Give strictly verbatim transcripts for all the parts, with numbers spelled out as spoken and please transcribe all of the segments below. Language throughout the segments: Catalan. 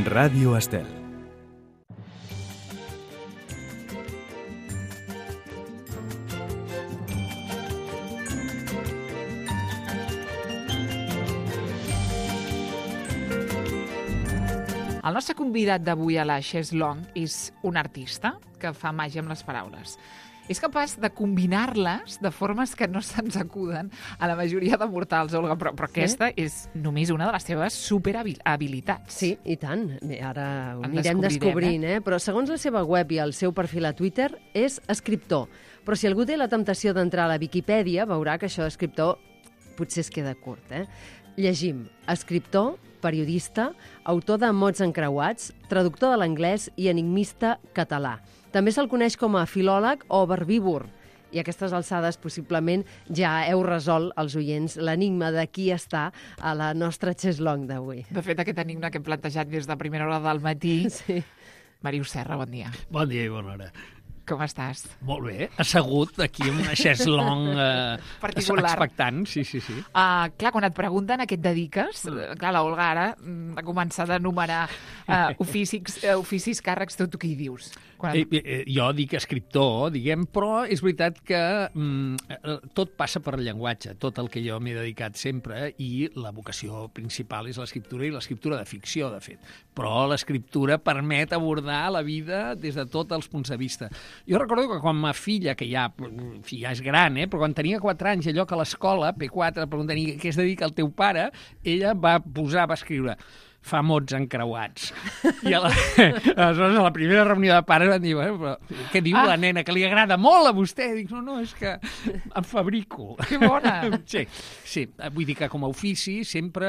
Ràdio Estel. El nostre convidat d'avui a la Chaise Longue és un artista que fa màgia amb les paraules. És capaç de combinar-les de formes que no se'ns acuden a la majoria de mortals, Olga, però, però Sí? aquesta és només una de les teves superhabilitats. Sí, i tant. Ara ho En anirem descobrirem, descobrint, eh? Però segons la seva web i el seu perfil a Twitter, és escriptor. Però si algú té la temptació d'entrar a la Viquipèdia, veurà que això d'escriptor potser es queda curt, eh? Llegim. Escriptor, periodista, autor de mots encreuats, traductor de l'anglès i enigmista català. També se'l coneix com a filòleg o verbívor. I a aquestes alçades, possiblement, ja heu resolt els oients l'enigma de qui està a la nostra Chaise Longue d'avui. De fet, aquest enigma que hem plantejat des de primera hora del matí. Sí. Màrius Serra, bon dia. Bon dia i bona hora. Com estàs? Molt bé, assegut aquí en una chaise longue eh, Particular. expectant, sí, sí, sí. Uh, clar, quan et pregunten a què et dediques, mm. clar, la Olga ara mm, ha començat a enumerar uh, oficis, uh, oficis, càrrecs, tot tu què hi dius? Quan... Eh, eh, jo dic escriptor, diguem, però és veritat que mm, tot passa per llenguatge, tot el que jo m'he dedicat sempre, i la vocació principal és l'escriptura, i l'escriptura de ficció, de fet. Però l'escriptura permet abordar la vida des de tots els punts de vista. Jo recordo que quan ma filla, que ja, ja és gran, eh, però quan tenia quatre anys, allò que a l'escola, P quatre, preguntant què es dedica el teu pare, ella va posar, va escriure fa mots encreuats. I a la, aleshores, a la primera reunió de pares van dir, bueno, però què diu ah. la nena, que li agrada molt a vostè? Dic, no, no, és que em fabrico. Que bona! Sí, sí, vull dir que com a ofici sempre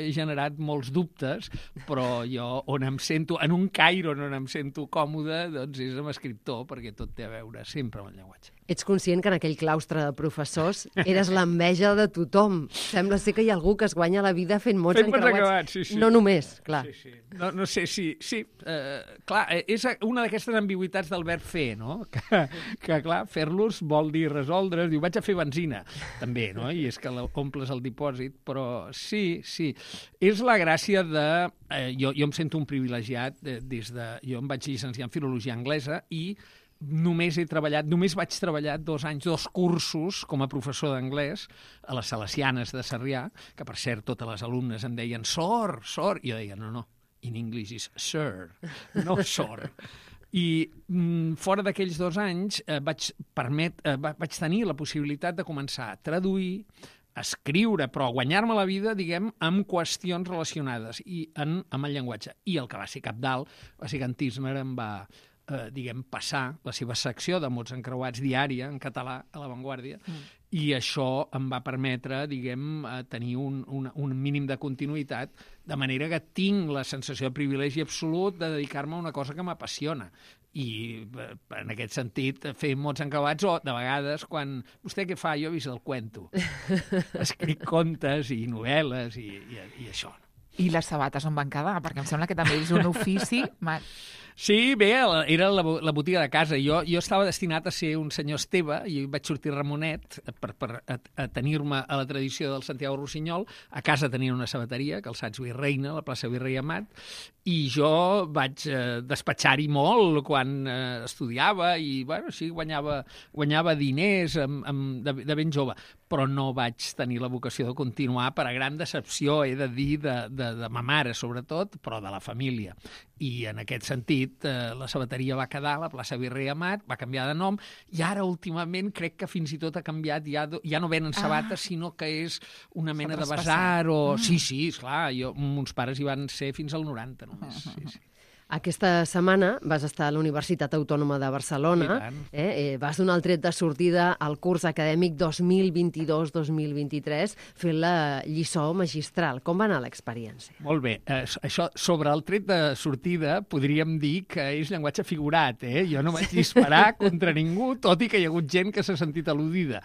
he generat molts dubtes, però jo on em sento, en un caire on em sento còmode, doncs és amb escriptor, perquè tot té a veure sempre amb el llenguatge. Ets conscient que en aquell claustre de professors eres l'enveja de tothom. Sembla ser que hi ha algú que es guanya la vida fent mots Fent mots encreuats. encreuats, sí, sí. No només, clar. Sí, sí. No, no sé si... Sí, eh, clar, és una d'aquestes ambigüitats del verb fer, no? Que, que clar, fer-los vol dir resoldre. Diu, vaig a fer benzina, també, no? I és que omples el dipòsit, però sí, sí. És la gràcia de... Eh, jo, jo em sento un privilegiat eh, des de... Jo em vaig llicenciar en filologia anglesa i només he treballat, només vaig treballar dos anys, dos cursos com a professor d'anglès a les Salesianes de Sarrià, que per cert totes les alumnes em deien sor, sor, i jo deia no, no, in English is sir, no sor. I mm, fora d'aquells dos anys eh, vaig, permet, eh, vaig tenir la possibilitat de començar a traduir, a escriure, però a guanyar-me la vida, diguem, amb qüestions relacionades i en, amb el llenguatge. I el que va ser capdalt va ser que en Tismer em va eh, diguem, passar la seva secció de mots encreuats diària en català a La Vanguardia, mm. i això em va permetre, diguem, tenir un, un, un mínim de continuïtat, de manera que tinc la sensació de privilegi absolut de dedicar-me a una cosa que m'apassiona. I en aquest sentit, fer mots encreuats, o de vegades, quan vostè què fa? Jo he vist el cuento. Escric contes i novel·les i, i, i això. I les sabates on van quedar? Perquè em sembla que també és un ofici... Sí, bé, era la, la botiga de casa. Jo, jo estava destinat a ser un senyor Esteve i vaig sortir Ramonet per, per atenir-me a la tradició del Santiago Rossinyol. A casa tenia una sabateria, Calçats Virreina, a la plaça Virrei Amat, i jo vaig eh, despatxar-hi molt quan eh, estudiava i, bueno, sí, guanyava, guanyava diners amb, amb, de, de ben jove, però no vaig tenir la vocació de continuar per a gran decepció, he de dir, de, de, de ma mare, sobretot, però de la família. I en aquest sentit, eh, la sabateria va quedar a la plaça Virrei Amat, va canviar de nom, i ara últimament crec que fins i tot ha canviat, ja, ja no venen sabates, ah. sinó que és una mena de basar, o... Mm. Sí, sí, esclar, jo, mons pares hi van ser fins al noranta només, uh -huh. sí, sí. Aquesta setmana vas estar a la Universitat Autònoma de Barcelona, eh? Eh, vas donar el tret de sortida al curs acadèmic dos mil vint-i-dos dos mil vint-i-tres fent la lliçó magistral. Com va anar l'experiència? Molt bé. Eh, això, sobre el tret de sortida, podríem dir que és llenguatge figurat, eh? Jo no vaig disparar contra ningú, tot i que hi ha hagut gent que s'ha sentit al·ludida.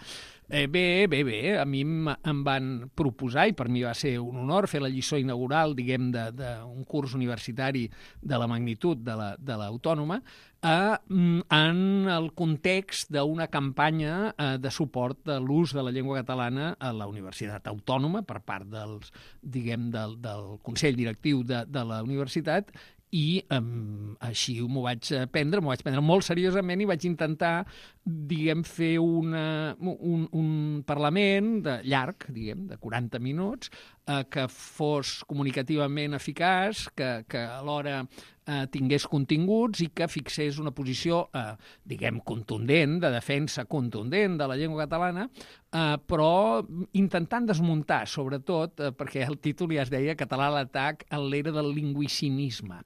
Eh, bé, bé, bé. A mi em, em van proposar, i per mi va ser un honor, fer la lliçó inaugural, diguem, d'un curs universitari de la magnitud de la, de l'Autònoma, eh, en el context d'una campanya eh, de suport de l'ús de la llengua catalana a la Universitat Autònoma per part dels, diguem, del, del Consell Directiu de, de la universitat, i um, així m'ho vaig prendre, m'ho vaig prendre molt seriosament i vaig intentar, diguem, fer una, un, un parlament de llarg, diguem, de quaranta minuts, eh, que fos comunicativament eficaç, que, que alhora eh, tingués continguts i que fixés una posició, eh, diguem, contundent, de defensa contundent de la llengua catalana, eh, però intentant desmuntar, sobretot, eh, perquè el títol ja es deia Català a l'atac en l'era del lingüicinisme.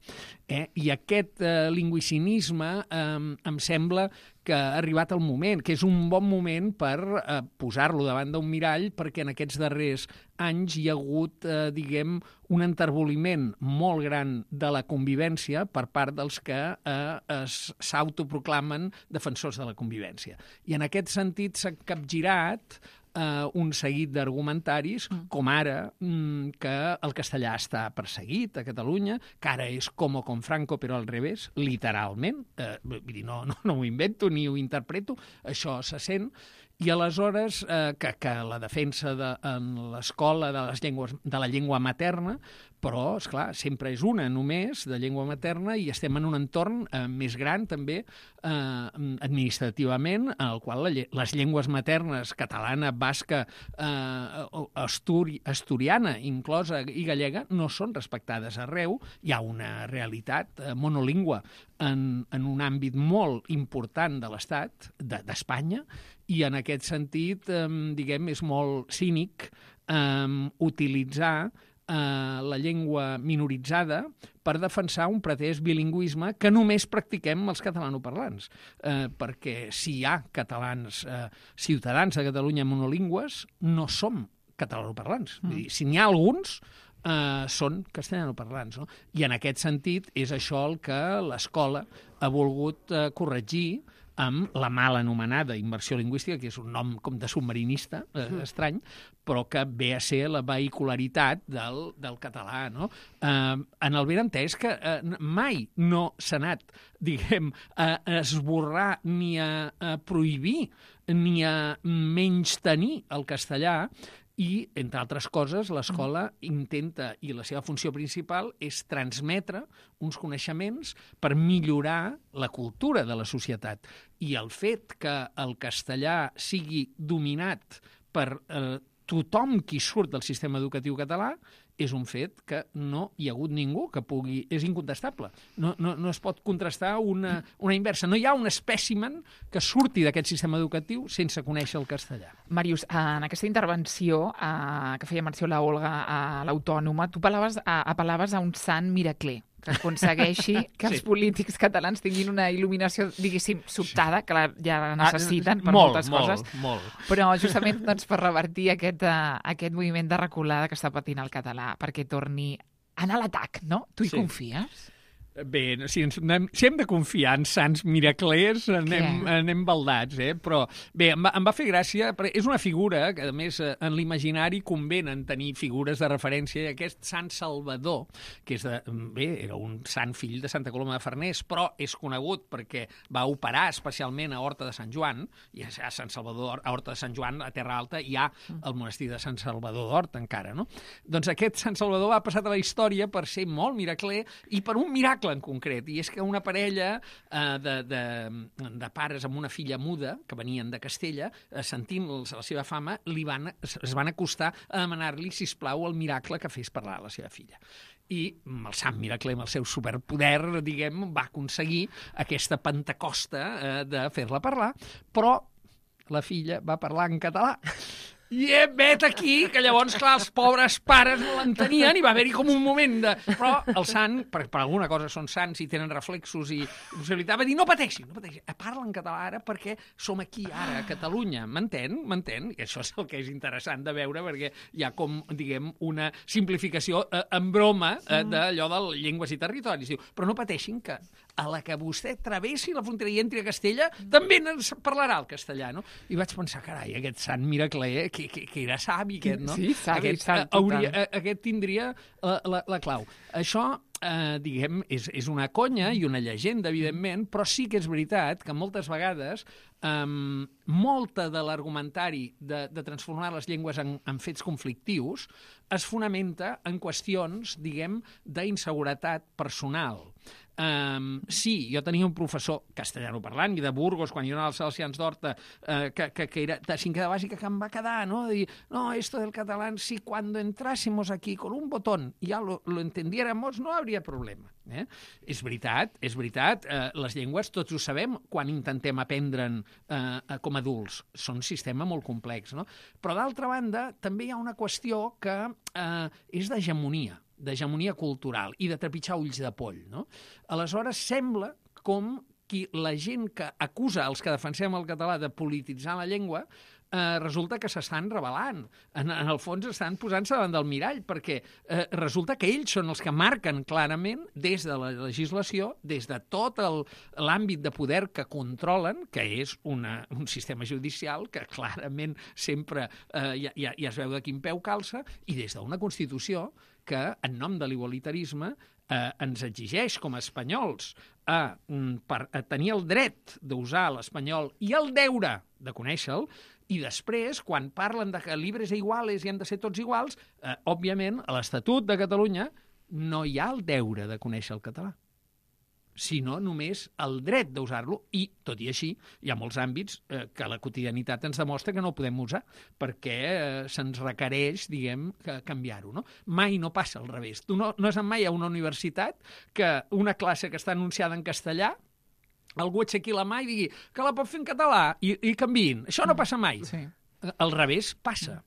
Eh? I aquest eh, lingüicinisme eh, em sembla que ha arribat el moment, que és un bon moment per eh, posar-lo davant d'un mirall, perquè en aquests darrers anys hi ha hagut, eh, diguem, un enterboliment molt gran de la convivència per part dels que eh, s'autoproclamen defensors de la convivència. I en aquest sentit s'ha capgirat Uh, un seguit d'argumentaris, mm. com ara mm, que el castellà està perseguit a Catalunya, que ara és com o com Franco, però al revés, literalment. Uh, vull dir, no, no, no ho invento ni ho interpreto, això se sent. I aleshores eh, que, que la defensa de, en l'escola de, les llengües, de la llengua materna, però, esclar, sempre és una només de llengua materna i estem en un entorn eh, més gran també eh, administrativament, en el qual la, les llengües maternes catalana, basca, eh, asturi, asturiana inclosa i gallega no són respectades arreu. Hi ha una realitat eh, monolingüe en, en un àmbit molt important de l'Estat, de, d'Espanya, i en aquest sentit, eh, diguem, és molt cínic eh, utilitzar eh, la llengua minoritzada per defensar un pretès bilingüisme que només practiquem els catalanoparlants. Eh, perquè si hi ha catalans, eh, ciutadans de Catalunya monolingües, no som catalanoparlants. Mm. Vull dir, si n'hi ha alguns, eh, són castellanoparlants. No? I en aquest sentit és això el que l'escola ha volgut eh, corregir amb la mal anomenada immersió lingüística, que és un nom com de submarinista, eh, estrany, però que ve a ser la vehicularitat del, del català. No? Eh, en el benentès que eh, mai no s'ha anat, diguem, a esborrar ni a, a prohibir ni a menystenir el castellà, i, entre altres coses, l'escola intenta, i la seva funció principal és transmetre uns coneixements per millorar la cultura de la societat. I el fet que el castellà sigui dominat per eh, tothom qui surt del sistema educatiu català és un fet que no hi ha hagut ningú que pugui... És incontestable. No, no, no es pot contrastar una, una inversa. No hi ha un espècimen que surti d'aquest sistema educatiu sense conèixer el castellà. Màrius, en aquesta intervenció eh, que feia menció la Olga a l'Autònoma, tu apel·laves a, apel·laves a un sant miracler que aconsegueixi que els sí. polítics catalans tinguin una il·luminació, diguéssim, sobtada, que la, ja la necessiten per molt, moltes molt, coses, molt. però justament doncs, per revertir aquest, uh, aquest moviment de reculada que està patint el català, perquè torni a anar a l'atac, no? Tu hi sí. confies? Bé, si, ens, si hem de confiar en sants miraclers, anem, anem baldats, eh? Però bé, em va, em va fer gràcia, perquè és una figura que, a més, en l'imaginari convenen tenir figures de referència. Aquest Sant Salvador, que és de, bé, era un sant fill de Santa Coloma de Farners, però és conegut perquè va operar especialment a Horta de Sant Joan, i a Sant Salvador, a Horta de Sant Joan, a Terra Alta, hi ha el monestir de Sant Salvador d'Horta, encara, no? Doncs aquest Sant Salvador ha passat a la història per ser molt miracler i per un miracle en concret, i és que una parella eh, de, de, de pares amb una filla muda, que venien de Castella, eh, sentint la seva fama, li van, es van acostar a demanar-li, sisplau, el miracle que fes parlar a la seva filla. I el sant miracle, amb el seu superpoder, diguem, va aconseguir aquesta pentecosta eh, de fer-la parlar, però la filla va parlar en català. I he vet aquí, que llavors, clar, els pobres pares no l'entenien i va haver-hi com un moment de... Però el sant, per, per alguna cosa són sants i tenen reflexos i possibilitat, va dir, no pateixin, no pateixin, parla en català ara perquè som aquí ara, a Catalunya, m'entén? M'entén? I això és el que és interessant de veure, perquè hi ha com, diguem, una simplificació eh, en broma eh, d'allò de llengües i territoris. Diu, però no pateixin que a la que vostè travessi la frontera i entri a Castella, també ens parlarà el castellà, no? I vaig pensar, carai, aquest sant miracler, que, que, que era savi, aquest, no? Sí, savi, aquest, savi, hauria, total. aquest tindria la, la, la clau. Això, eh, diguem, és, és una conya i una llegenda, evidentment, però sí que és veritat que moltes vegades um, molta de l'argumentari de, de transformar les llengües en, en fets conflictius es fonamenta en qüestions, diguem, d'inseguretat personal. Um, sí, jo tenia un professor castellano parlant i de Burgos, quan jo anava als Salesians d'Horta, uh, que, que, que era de cinquè de bàsica, que em va quedar, no? De dir, no, esto del catalán, si cuando entrásemos aquí con un botón ya lo, lo entendiéramos, no habría problema. Eh? És veritat, és veritat, eh, les llengües tots ho sabem quan intentem aprendre'n eh, com a adults. Són un sistema molt complex, no? Però d'altra banda, també hi ha una qüestió que eh, és d'hegemonia, d'hegemonia cultural i de trepitjar ulls de poll, no? Aleshores, sembla com que la gent que acusa els que defensem el català de polititzar la llengua eh, resulta que s'estan rebel·lant. En, en el fons estan posant-se davant del mirall, perquè eh, resulta que ells són els que marquen clarament, des de la legislació, des de tot l'àmbit de poder que controlen, que és una, un sistema judicial que clarament sempre eh, ja, ja, ja es veu de quin peu calça, i des d'una Constitució que, en nom de l'igualitarisme, eh, ens exigeix com a espanyols a, per, a tenir el dret d'usar l'espanyol i el deure de conèixer-lo, i després, quan parlen de que libres e iguales i han de ser tots iguals, eh, òbviament, a l'Estatut de Catalunya no hi ha el deure de conèixer el català, sinó només el dret d'usar-lo, i, tot i així, hi ha molts àmbits eh, que la quotidianitat ens demostra que no podem usar, perquè eh, se'ns requereix, diguem, canviar-ho, no? Mai no passa al revés. Tu no, no és mai a una universitat que una classe que està anunciada en castellà algú aixequi la mà i digui que la pot fer en català i, i canviïn. Això no passa mai. Sí. Al revés, passa.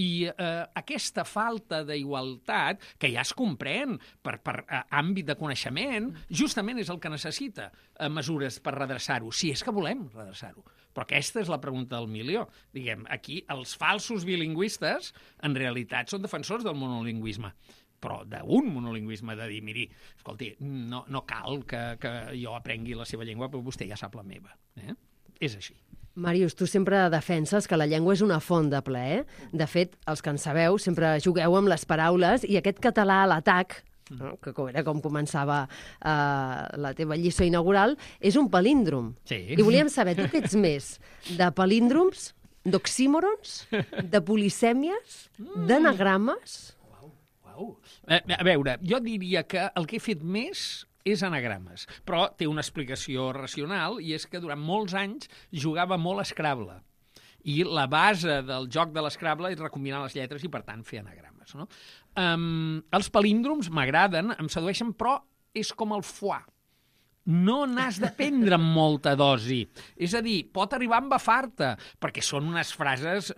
I eh, aquesta falta d'igualtat, que ja es comprèn per, per eh, àmbit de coneixement, justament és el que necessita eh, mesures per redreçar-ho, si és que volem redreçar-ho. Però aquesta és la pregunta del milió. Diguem, aquí els falsos bilingüistes en realitat són defensors del monolingüisme, però d'un monolingüisme, de dir, miri, escolti, no, no cal que, que jo aprengui la seva llengua, però vostè ja sap la meva. Eh? És així. Màrius, tu sempre defenses que la llengua és una font de plaer. De fet, els que en sabeu sempre jugueu amb les paraules i aquest català a l'atac, no? Que era com començava uh, la teva lliçó inaugural, és un palíndrom. Sí. I volíem saber, tu què ets més? De palíndroms? D'oxímorons? De polisèmies? D'anagrames? Uau, uau. A, a veure, jo diria que el que he fet més és anagrames, però té una explicació racional, i és que durant molts anys jugava molt a Scrabble. I la base del joc de l'Scrabble és recombinar les lletres i, per tant, fer anagrames. No? Um, els palíndroms m'agraden, em sedueixen, però és com el foie. No n'has de prendre amb molta dosi. És a dir, pot arribar a embafar-te, perquè són unes frases...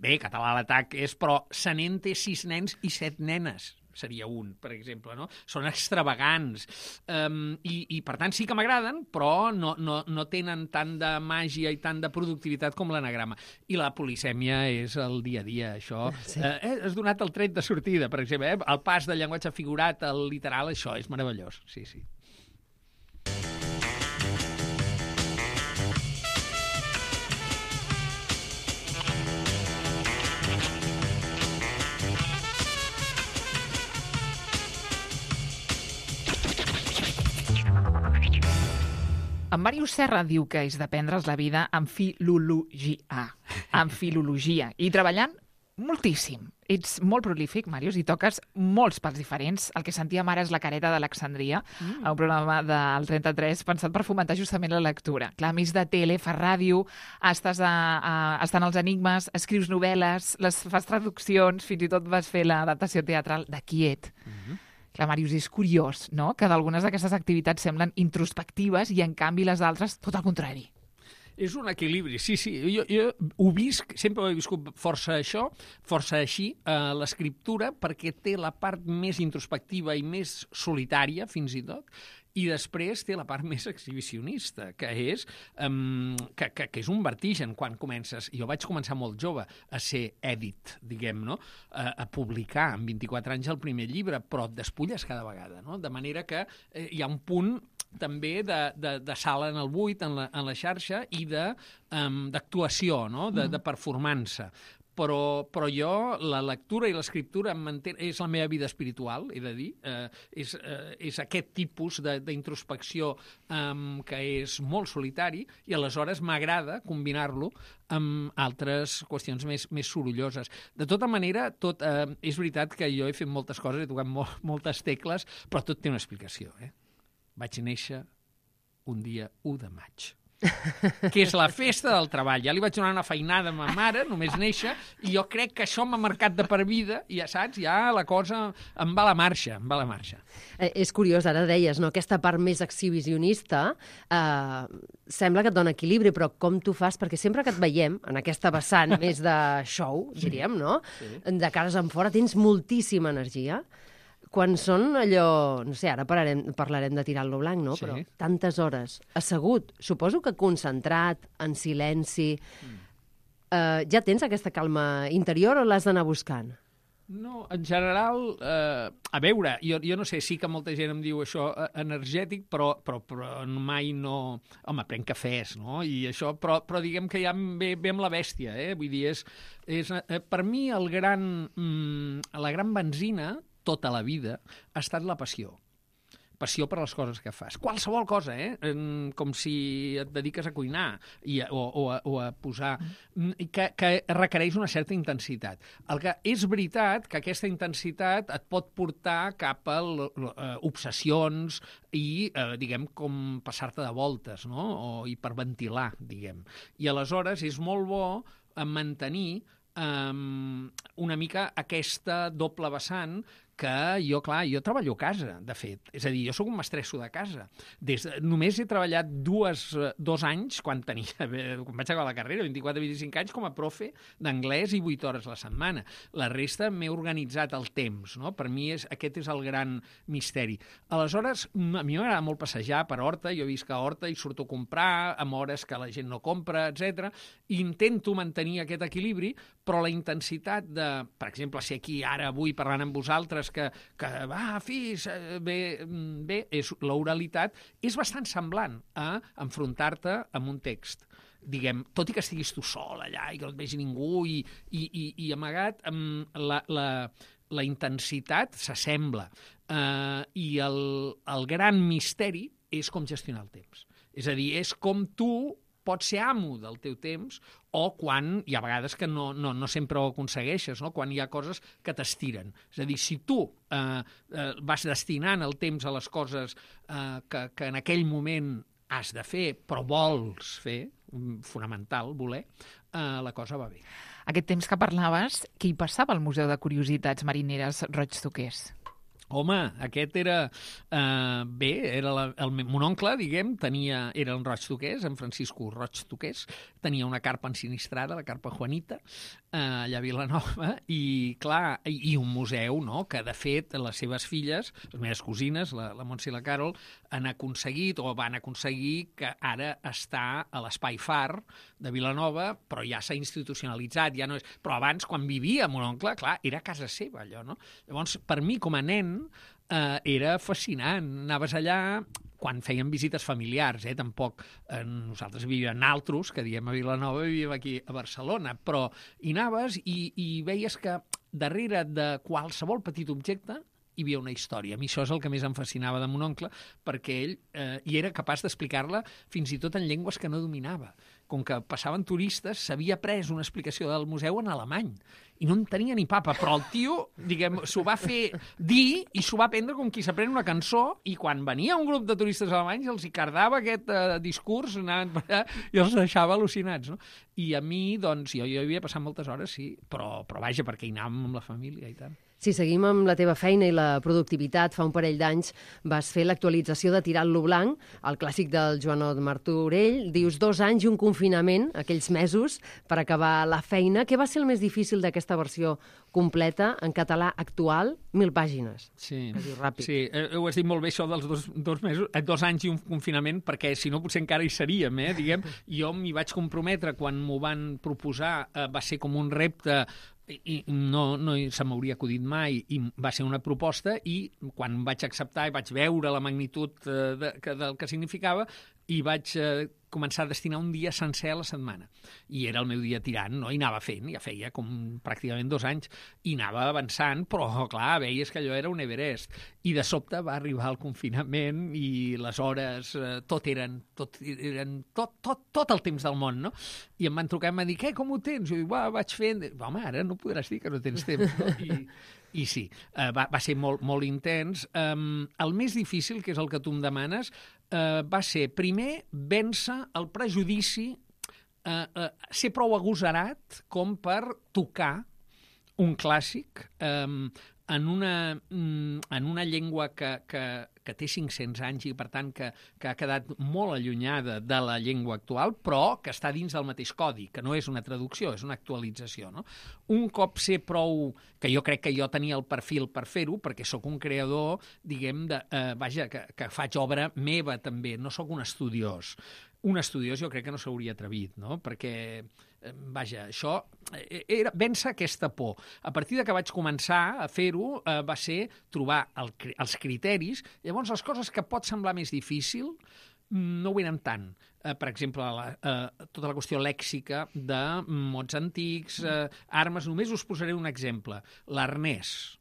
Bé, català a l'atac és, però se n'en té sis nens i set nenes. Seria un, per exemple, no? Són extravagants. Um, i, I, per tant, sí que m'agraden, però no, no, no tenen tant de màgia i tant de productivitat com l'anagrama. I la polisèmia és el dia a dia, això. Sí. Eh, has donat el tret de sortida, per exemple, eh? El pas del llenguatge figurat al literal, això és meravellós. Sí, sí. En Màrius Serra diu que és d'aprendre's la vida amb filologia, amb filologia, i treballant moltíssim. Ets molt prolífic, Màrius, i toques molts pals diferents. El que sentíem ara és La careta d'Alexandria, mm. un programa del trenta-tres pensat per fomentar justament la lectura. Clar, a més de tele, fas ràdio, estàs a, a, estan als Enigmes, escrius novel·les, les fas traduccions, fins i tot vas fer l'adaptació teatral de Quiet. Mm-hmm. Clar, Màrius, és curiós, no?, que d'algunes d'aquestes activitats semblen introspectives i, en canvi, les altres, tot el contrari. És un equilibri, sí, sí. Jo, jo ho visc, sempre ho he viscut força això, força així, eh, l'escriptura, perquè té la part més introspectiva i més solitària, fins i tot, i després té la part més exhibicionista, que és, um, que, que, que és un vertigen quan comences. Jo vaig començar molt jove a ser èdit, diguem, no? A, a publicar amb vint-i-quatre anys el primer llibre, però et despulles cada vegada, no? De manera que eh, hi ha un punt també de, de, de sala en el buit, en la, en la xarxa, i d'actuació, um, no? de, de performança. Però, però jo, la lectura i l'escriptura és la meva vida espiritual, he de dir. Eh, és, eh, és aquest tipus d'introspecció eh, que és molt solitari i aleshores m'agrada combinar-lo amb altres qüestions més, més sorolloses. De tota manera, tot, eh, és veritat que jo he fet moltes coses, he tocat molt, moltes tecles, però tot té una explicació. Eh? Vaig néixer un dia u de maig. Que és la festa del treball. Ja li vaig donar una feinada a ma mare, només néixer, i jo crec que això m'ha marcat de per vida, i ja saps, ja la cosa em va a la marxa, em va a la marxa. Eh, és curiós, ara deies, no? Aquesta part més exhibicionista eh, sembla que et dona equilibri, però com tu fas? Perquè sempre que et veiem en aquesta vessant més de show, diríem, no? Sí. De cares en fora, tens moltíssima energia. Quan són allò, no sé, ara parlarem, parlarem de tirar-lo blanc, no? Sí. Però tantes hores assegut, suposo que concentrat, en silenci, mm. eh, ja tens aquesta calma interior o l'has d'anar buscant? No, en general, eh, a veure, jo, jo no sé, sí que molta gent em diu això eh, energètic, però, però, però mai no... Home, prenc cafès, no? I això, però, però diguem que ja ve, ve amb la bèstia, eh? Vull dir, és, és, eh, per mi el gran, mm, la gran benzina tota la vida ha estat la passió. Passió per les coses que fas. Qualsevol cosa, eh? Com si et dediques a cuinar i a, o, o, a, o a posar... Que, que requereix una certa intensitat. El que és veritat que aquesta intensitat et pot portar cap a obsessions i, eh, diguem, com passar-te de voltes, no? O hiperventilar, diguem. I aleshores és molt bo mantenir um, una mica aquesta doble vessant que jo, clar, jo treballo a casa, de fet. És a dir, jo sóc un mestresso de casa. Des de, només he treballat dues, dos anys, quan tenia, quan vaig acabar la carrera, vint-i-quatre a vint-i-cinc anys, com a profe d'anglès i vuit hores a la setmana. La resta m'he organitzat el temps, no? Per mi és, aquest és el gran misteri. Aleshores, a mi m'agrada molt passejar per Horta, jo visc a Horta i surto a comprar amb hores que la gent no compra, etcètera. Intento mantenir aquest equilibri, però la intensitat de, per exemple, si aquí ara avui parlant amb vosaltres que, que va, fis, bé, bé, és, l'oralitat és bastant semblant a enfrontar-te amb un text. Diguem, tot i que estiguis tu sol allà i que no et vegi ningú i, i, i, i amagat, la, la, la intensitat s'assembla. Uh, I el, el gran misteri és com gestionar el temps. És a dir, és com tu pots ser amo del teu temps o quan hi ha vegades que no, no, no sempre ho aconsegueixes, no? Quan hi ha coses que t'estiren. És a dir, si tu eh, eh, vas destinant el temps a les coses eh, que, que en aquell moment has de fer, però vols fer, fonamental, voler, eh, la cosa va bé. Aquest temps que parlaves, què hi passava al Museu de Curiositats Marineres Roig Toquers? Home, aquest era... Eh, bé, era la, el, mon oncle, diguem, tenia, era en Roig Toquers, en Francisco Roig Toquers, tenia una carpa ensinistrada, la carpa Juanita, eh, allà a Vilanova, i, clar, i, i un museu, no?, que, de fet, les seves filles, les meves cosines, la, la Montse i la Carol, han aconseguit, o van aconseguir, que ara està a l'Espai Far de Vilanova, però ja s'ha institucionalitzat, ja no és... Però abans, quan vivia mon oncle, clar, era casa seva, allò, no? Llavors, per mi, com a nen, eh, era fascinant. Anaves allà quan feien visites familiars, eh? Tampoc eh, nosaltres vivíem naltros, que diem a Vilanova, vivíem aquí a Barcelona, però hi anaves i, i veies que darrere de qualsevol petit objecte hi havia una història. A mi això és el que més em fascinava de mon oncle, perquè ell eh, hi era capaç d'explicar-la fins i tot en llengües que no dominava. Com que passaven turistes, s'havia pres una explicació del museu en alemany i no en tenia ni papa, però el tio, diguem, s'ho va fer dir i s'ho va prendre com qui s'aprèn una cançó, i quan venia un grup de turistes alemanys els hi cardava aquest eh, discurs, anaven per allà i els deixava al·lucinats, no? I a mi, doncs, jo, jo hi havia passat moltes hores, sí, però, però vaja, perquè hi anàvem amb la família i tant. Si seguim amb la teva feina i la productivitat, fa un parell d'anys vas fer l'actualització de Tirant-lo blanc, el clàssic del Joanot Martorell. Dius dos anys i un confinament, aquells mesos, per acabar la feina. Què va ser el més difícil d'aquesta versió completa, en català actual? Mil pàgines. Sí, ràpid. sí. Eh, ho has dit molt bé, això dels dos, dos, mesos, eh, dos anys i un confinament, perquè si no potser encara hi seríem, eh? Diguem, jo m'hi vaig comprometre quan m'ho van proposar, eh, va ser com un repte i no, no se m'hauria acudit mai, i va ser una proposta, i quan vaig acceptar i vaig veure la magnitud eh, de, que, del que significava, i vaig eh, començar a destinar un dia sencer a la setmana. I era el meu dia tirant, no? I anava fent, ja feia com pràcticament dos anys, i anava avançant, però, clar, veies que allò era un Everest. I de sobte va arribar el confinament i les hores, eh, tot eren, tot, eren tot, tot, tot el temps del món, no? I em van trucar i em van dir, què, com ho tens? I jo dic, va, vaig fent... Home, ara no podràs dir que no tens temps, no? I... I sí, uh, va, va ser molt, molt intens. Um, el més difícil, que és el que tu em demanes, uh, va ser, primer, vèncer el prejudici, uh, uh, ser prou agosarat com per tocar un clàssic um, en, una, um, en una llengua que, que, que té cinc-cents anys i, per tant, que, que ha quedat molt allunyada de la llengua actual, però que està dins del mateix codi, que no és una traducció, és una actualització, no? Un cop ser prou... que jo crec que jo tenia el perfil per fer-ho, perquè sóc un creador, diguem, de, eh, vaja, que, que faig obra meva també, no sóc un estudiós. Un estudiós jo crec que no s'hauria atrevit, no? Perquè, eh, vaja, això era vèncer aquesta por. A partir de que vaig començar a fer-ho, eh, va ser trobar el, els criteris. Llavors, les coses que pot semblar més difícil no ho eren tant. Eh, per exemple, la, eh, tota la qüestió lèxica de mots antics, eh, armes. Només us posaré un exemple. L'arnès.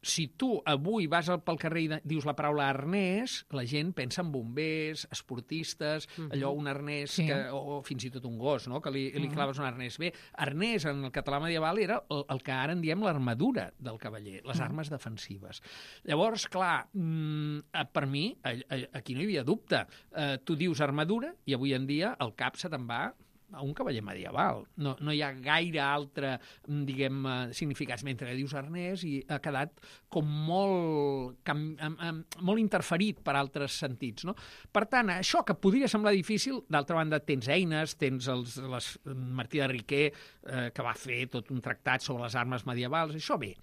Si tu avui vas pel carrer i dius la paraula arnès, la gent pensa en bombers, esportistes, uh-huh. allò, un arnès, sí. que, o fins i tot un gos, no? Que li, li uh-huh. claves un arnès. Bé, arnès en el català medieval era el, el que ara en diem l'armadura del cavaller, les uh-huh. armes defensives. Llavors, clar, mmm, per mi, aquí no hi havia dubte. Eh, tu dius armadura i avui en dia el cap se te'n va a un cavaller medieval. No, no hi ha gaire altre, diguem, significats, mentre que dius arnès i ha quedat com molt, cam, molt interferit per altres sentits, no? Per tant, això que podria semblar difícil, d'altra banda tens eines, tens els, les, Martí de Riquer, eh, que va fer tot un tractat sobre les armes medievals, això bé.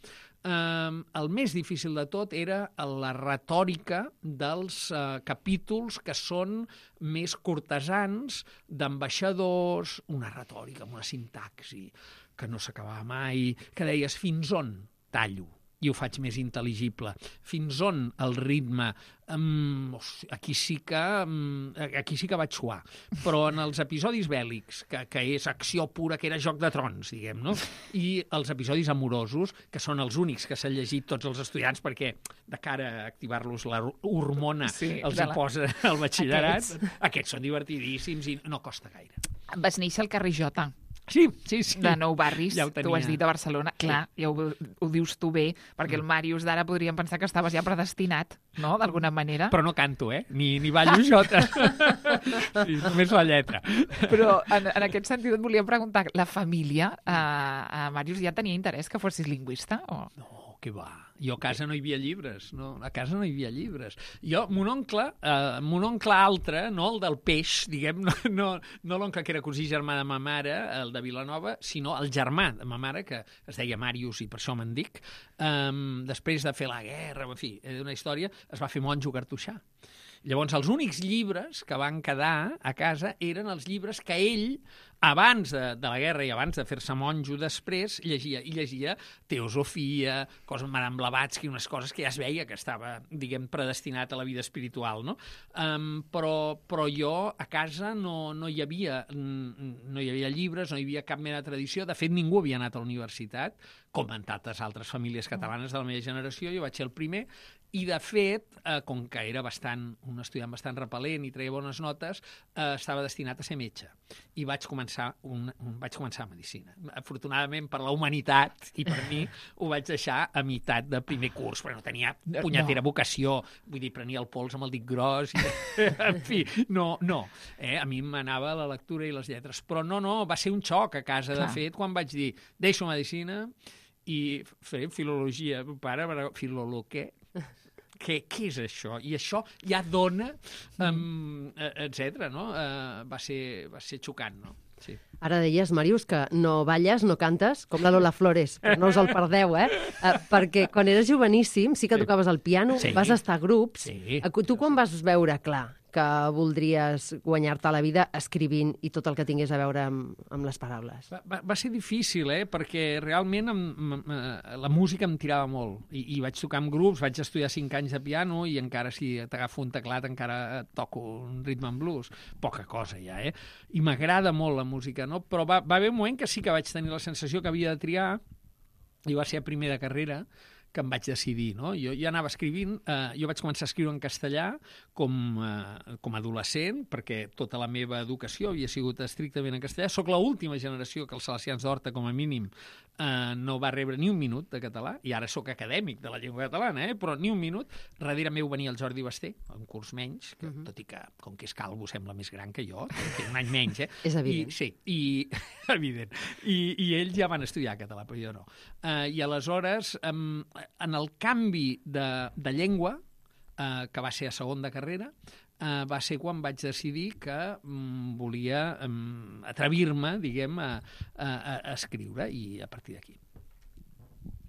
Um, el més difícil de tot era la retòrica dels uh, capítols que són més cortesans, d'ambaixadors, una retòrica, una sintaxi que no s'acabava mai, que deies fins on tallo i ho faig més intel·ligible, fins on el ritme, um, aquí sí que um, aquí sí que vaig suar, però en els episodis bèl·lics, que, que és acció pura, que era Joc de Trons, diguem, no? I els episodis amorosos, que són els únics que s'han llegit tots els estudiants, perquè de cara a activar-los la hormona sí, els hi la... posa el batxillerat, aquests. Aquests són divertidíssims i no costa gaire. Vas néixer al carrer Jota. Sí, sí, sí. De Nou Barris, ja ho tu ho has dit a Barcelona. Sí. Clar, ja ho, ho dius tu bé, perquè el Màrius d'ara podríem pensar que estaves ja predestinat, no?, d'alguna manera. Però no canto, eh? Ni, ni ballo jota. Sí, només la lletra. Però en, en aquest sentit et volia preguntar, la família, eh, a Màrius ja tenia interès que fossis lingüista? O... No, què va. Jo a casa no hi havia llibres, no, a casa no hi havia llibres. Jo, mon oncle, eh, mon oncle altre, no el del peix, diguem, no, no, no l'oncle que era cosí germà de ma mare, el de Vilanova, sinó el germà de ma mare, que es deia Màrius i per això me'n dic, eh, després de fer la guerra, en fi, una història, es va fer monjo cartoixà. Llavors, els únics llibres que van quedar a casa eren els llibres que ell, abans de, de la guerra i abans de fer-se monjo després, llegia. I llegia teosofia, coses, Madame Blavatsky, unes coses que ja es veia que estava, diguem, predestinat a la vida espiritual, no? Um, però, però jo a casa no, no hi havia no hi havia llibres, no hi havia cap mena de tradició. De fet, ningú havia anat a la universitat, com en tantes altres famílies catalanes de la meva generació. Jo vaig ser el primer. I, de fet, eh, com que era bastant, un estudiant bastant repel·lent i treia bones notes, eh, estava destinat a ser metge. I vaig començar, un, un, vaig començar a medicina. Afortunadament, per la humanitat i per mi, ho vaig deixar a meitat de primer curs, perquè no tenia punyetera no. vocació. Vull dir, prenia el pols amb el dit gros. I, en fi, no, no. Eh, a mi m'anava la lectura i les lletres. Però no, no, va ser un xoc a casa, Clar. De fet, quan vaig dir, deixo medicina i faré filologia. Pare, filolo què? Què, què és això? I això ja dona, um, etcètera, no? Uh, va ser, va ser xocant, no? Sí. Ara deies, Màrius, que no balles, no cantes, com la Lola Flores, però no us el perdeu, eh? Uh, perquè quan eres joveníssim sí que tocaves el piano, sí. Vas estar a grups. Sí. Tu quan vas veure, clar, que voldries guanyar-te la vida escrivint i tot el que tingués a veure amb, amb les paraules? Va, va, va ser difícil, eh? Perquè realment em, em, la música em tirava molt. I, I vaig tocar amb grups, vaig estudiar cinc anys de piano i encara si t'agafo un teclat encara toco un ritme en blues. Poca cosa ja, eh? I m'agrada molt la música, no? Però va, va haver un moment que sí que vaig tenir la sensació que havia de triar i va ser a primer de carrera que em vaig decidir, no? Jo ja anava escrivint, eh, jo vaig començar a escriure en castellà com, eh, com a adolescent, perquè tota la meva educació havia sigut estrictament en castellà. Soc l'última generació que els Salesians d'Horta, com a mínim, eh, no va rebre ni un minut de català, i ara sóc acadèmic de la llengua catalana, eh? Però ni un minut. Darrere meu venia el Jordi Basté, un curs menys, que, uh-huh. tot i que, com que és calvo, sembla més gran que jo, té un any menys, eh? És evident. I, sí, i, evident. I, I ells ja van estudiar català, però jo no. Eh, I aleshores, eh, en el canvi de, de llengua, eh, que va ser a segon de carrera, eh, va ser quan vaig decidir que mm, volia mm, atrevir-me, diguem, a, a, a escriure, i a partir d'aquí.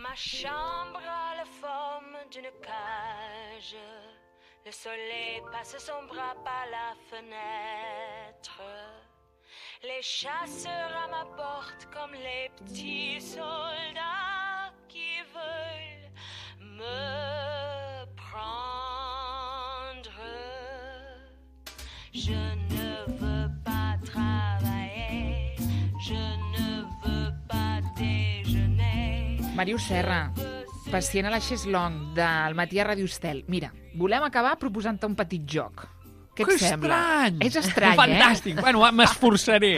Ma chambre a la forme d'une cage. Le soleil passe son bras par la fenêtre. Les chasseurs à ma porte comme les petits soldats qui veulent me prendre. Je ne veux pas travailler, je ne veux pas déjeuner. Màrius Serra, pacient a la Cheslong del matí a Radio Estel. Mira, volem acabar proposant-te un petit joc. Què et que sembla? estrany! És estrany, Fantàstic! eh? Bueno, m'esforçaré.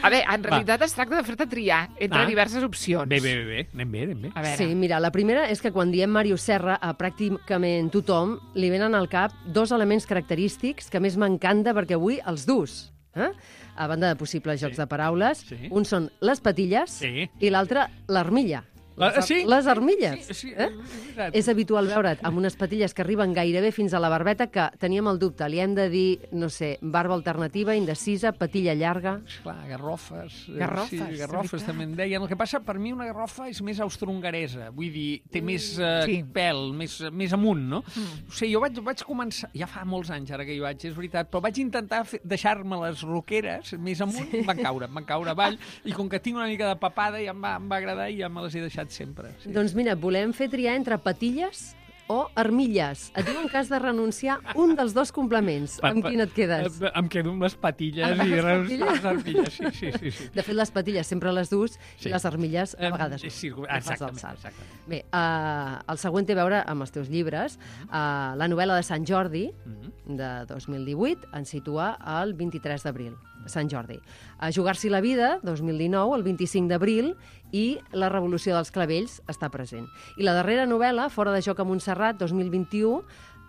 A veure, en realitat Va. es tracta de fer-te triar entre Ah. diverses opcions. Bé, bé, bé, bé. Anem bé, anem bé. A veure, Sí, mira, la primera és que quan diem Màrius Serra a pràcticament tothom li venen al cap dos elements característics que més m'encanta perquè avui els dus. Eh? A banda de possibles jocs Sí. de paraules, Sí. un són les patilles Sí. i l'altre l'armilla. La- Les, sí? les armilles. Sí, sí, eh? és veritat. És habitual veure't amb unes patilles que arriben gairebé fins a la barbeta, que teníem el dubte. Li hem de dir, no sé, barba alternativa, indecisa, patilla llarga... Clar, garrofes. eh, Garrofes, Sí, de garrofes veritat. també en deien. El que passa, per mi una garrofa és més austrohongaresa. Vull dir, té més eh, Sí. pèl, més, més amunt, no? Mm. O sigui, jo vaig, vaig començar... Ja fa molts anys ara que hi vaig, és veritat, però vaig intentar fer, deixar-me les roqueres més amunt, sí. em van caure, em van caure avall, i com que tinc una mica de papada ja em va, em va agradar i ja me les he deixat sempre. Sí. Doncs mira, volem fer triar entre patilles o armilles. Et diuen que has de renunciar un dels dos complements. Pa- Amb pa- quin et quedes? Em, em quedo amb les patilles Amb i les res- patilles? les armilles, sí, sí, sí. sí. De fet, les patilles sempre les dus Sí. i les armilles a Em, vegades no. sí, No fas el exactament, salt. exactament. Bé, uh, el següent té a veure amb els teus llibres. Uh, la novel·la de Sant Jordi, Mhm. de dos mil divuit, ens situa el vint-i-tres d'abril, Sant Jordi. A Jugar-s'hi la vida, dos mil dinou, el vint-i-cinc d'abril, i La revolució dels clavells està present. I la darrera novel·la, Fora de joc a Montserrat, dos mil vint-i-u,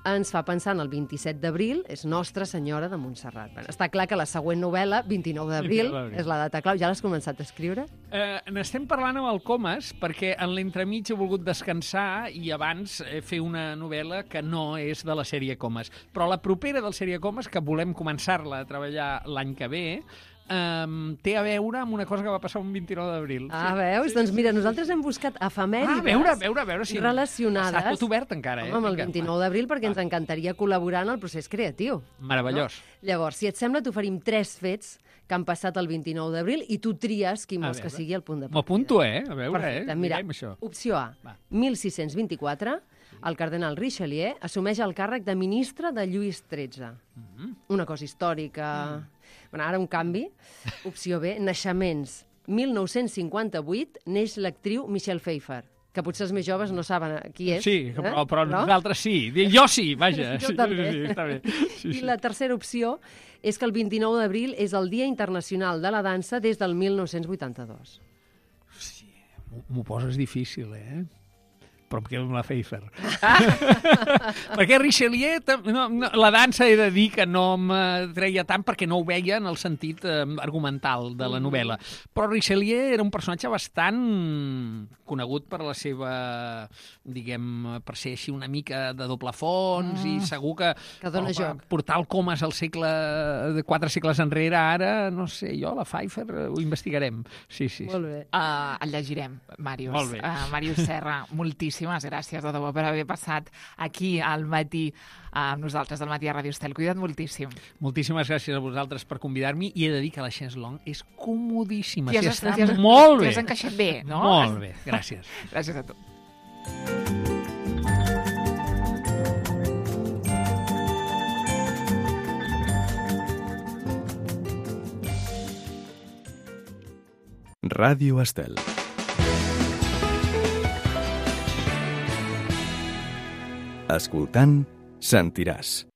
ens fa pensar en el vint-i-set d'abril, és Nostra Senyora de Montserrat. Bueno, està clar que la següent novel·la, vint-i-nou d'abril, vint-i-nou d'abril. és la data clau. Ja l'has començat a escriure? Eh, N'estem parlant amb el Comas perquè en l'entremig he volgut descansar i abans eh, fer una novel·la que no és de la sèrie Comas. Però la propera del sèrie Comas, que volem començar-la a treballar l'any que ve, Um, té a veure amb una cosa que va passar un vint-i-nou d'abril. Ah, veus? Doncs mira, nosaltres hem buscat efemèrides Ah, a veure, a veure, a veure si... relacionades Està tot obert encara, eh? home, amb el Vinga, vint-i-nou d'abril, perquè ens encantaria col·laborar en el procés creatiu. Meravellós. No? Llavors, si et sembla, t'oferim tres fets que han passat el vint-i-nou d'abril i tu tries quin A vols que veure. sigui el punt de M'ho partida. apunto, eh? A veure, Perfecte, eh? mira, Mirem això. opció A, Va. mil sis-cents vint-i-quatre, el cardenal Richelieu assumeix el càrrec de ministre de Lluís tretze. Mhm. Una cosa històrica... Mm. Bueno, ara un canvi. Opció B, naixements. mil nou-cents cinquanta-vuit neix l'actriu Michelle Pfeiffer, que potser els més joves no saben qui és. Sí, però, eh? però nosaltres sí. Jo sí, vaja. Jo sí, també. Sí, està bé. Sí, I sí. la tercera opció és que el vint-i-nou d'abril és el Dia Internacional de la Dansa des del mil nou-cents vuitanta-dos. Sí, m'ho- m'ho poses difícil, eh? Però em quedo amb la Pfeiffer. Perquè Richelieu, tam- no, no, la dansa he de dir que no me treia tant perquè no ho veia en el sentit eh, argumental de la novel·la. Però Richelieu era un personatge bastant conegut per la seva, diguem, per ser així una mica de doble fons mm. i segur que, Que dona home, joc. portar el Comas al segle de quatre segles enrere ara, no sé, jo, la Pfeiffer, eh, ho investigarem. Sí, sí. sí. Molt bé. Uh, el llegirem, Màrius. Molt bé. Uh, Màrius Serra, moltíssim. moltíssimes gràcies, de debò, per haver passat aquí al matí amb nosaltres, al matí a Ràdio Estel. Cuida't moltíssim. Moltíssimes gràcies a vosaltres per convidar-m'hi i he de dir que la chaise longue és comodíssima. T'hi Sí, has, està t'hi has, molt bé. T'hi has encaixat bé, no? Molt bé, gràcies. Gràcies a tu. Ràdio Estel. Escoltant, sentiràs.